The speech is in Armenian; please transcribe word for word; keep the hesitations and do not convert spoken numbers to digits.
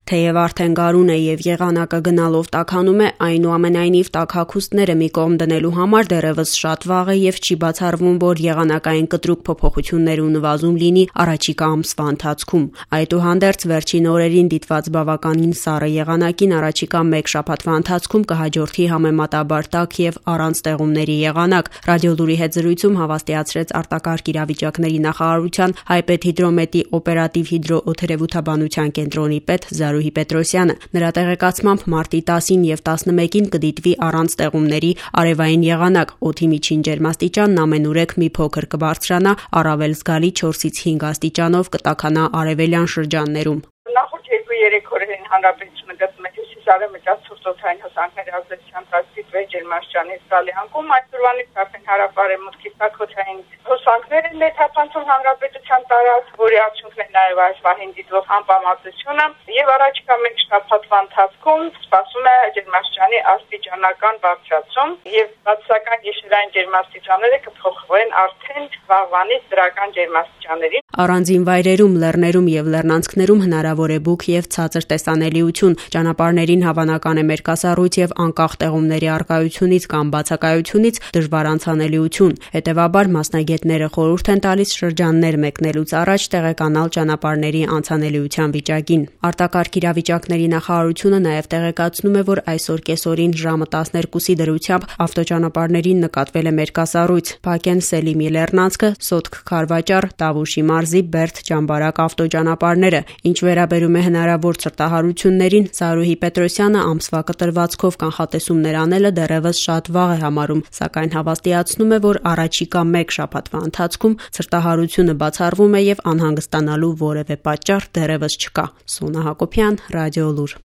Թեև արդեն գարուն է եւ եղանակը գնալով տաքանում է, այնուամենայնիվ տաքաքուստները մի կողմ դնելու համար դեռևս շատ վաղ է եւ չի բացառվում, որ եղանակային կտրուկ փոփոխություններ ու նվազում լինի առաջիկա ամսվա ընթացքում։ Այդուհանդերձ, վերջին օրերին դիտված բավականին սառը եղանակին առաջիկա մեկ շաբաթվա ընթացքում կհաջորդի համեմատաբար տաք եւ առանց տեղումների եղանակ։ Ռադիոլուրի հետ զրույցում հավաստիացրեց արտակարգ իրավիճակների նախարարության հայպեդհիդրոմետի օպերատիվ հիդրոօդերևութաբանության կենտրոնի պետ Զարուհի Պետրոսյանը։ Նրա տեղեկացմամբ մարտի տասին եւ տասնմեկին կդիտվի առանց տեղումների արևային եղանակ, օդի միջին ջերմաստիճանն ամենուրեք մի փոքր կբարձրանա, առավել զգալի չորսից հինգ աստիճանով կտաքանա արևելյան շրջաններում։ Նախորդ երկու-երեք օրերին հանրապետությունը գտնում է հյուսիսարևմտյան ցուրտօդային հոսանքների ազդեցությամբ տասնվեց ջերմաստիճանի զգալի անկում, այսօրվանից արդեն հարավարևմուտքի տաքոթային հոսանքները ներթափանցում հանրապետության տարածք, որի արդյունքն է նաև այս վահին դիտվող անպամատությունը, եւ առաջիկա մեկ շաբաթվա ընթացքում սպասվում է ջերմաստիճանի աստիճանական բարձրացում եւ բացասական գիշերային ջերմաստիճանները կփոխվեն արդեն վաղվանից դրական ջերմաստիճանների։ Առանձին վայրերում, լեռներում եւ լեռնանցքներում հնարավոր է բուք եւ ցածր տեսանելիություն։ Ճանապարհներին հավանական է մերկասառույց եւ անկախ տեղումների առկայությունից կամ բացակայությունից դժվար անցանելիություն։ Հետևաբար մասնագետները խորհուրդ են տալիս շրջաններ մեկնելուց առաջ տեղեկանալ ճանապարհների անցանելիության վիճակին։ Արտակարգ իրավիճակների նախարարությունը նաեւ տեղեկացնում է, որ այսօր կեսօրին ժամը տասներկուսի դրությամբ ավտոճանապարհներին նկատվել է մերկասառույց։ Բաքեն Սելիմի լեռնանցքը, Սոտք Քարվաճար, Տավուշի մարզի Բերդ Ճամբարակ ավտոճանապարհները։ Ինչ վերաբերում է հնարավոր ցրտահարություններին, Զարուհի Պետրոսյանը ամսվա կտրվածքով կանխատեսումներ անելը դեռևս շատ վաղ է համարում, սակայն հավաստիացնում է, որ առաջիկա մեկ շաբաթվա ընթացքում ցրտահարությունը բացառվում է եւ անհանգստանալու որևէ պատճառ դեռևս չկա։ Սոնա Հակոբյան, Ռադիոլուր։